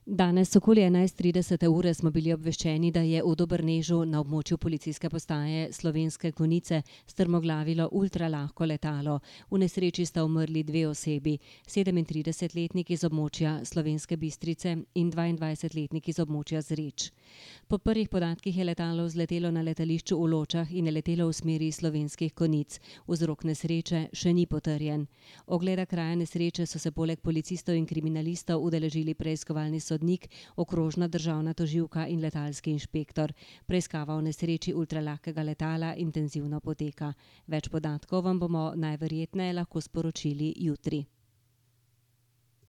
Danes okoli 11:30 smo bili obveščeni, da je v Dobrnežu na območju policijske postaje Slovenske Konjice strmoglavilo ultralahko letalo. V nesreči sta umrli 2 osebi, 37-letnik iz območja Slovenske Bistrice in 22-letnik iz območja Zreč. Po prvih podatkih je letalo vzletelo na letališču v Ločah in je letelo v smeri Slovenskih Konjic. Vzrok nesreče še ni potrjen. Ogleda kraja nesreče so se poleg policistov in kriminalistov udeležili preiskovalni sodnik, okrožna državna tožilka in letalski inšpektor. Preiskava o nesreči ultralahkega letala intenzivno poteka. Več podatkov vam bomo najverjetneje lahko sporočili jutri.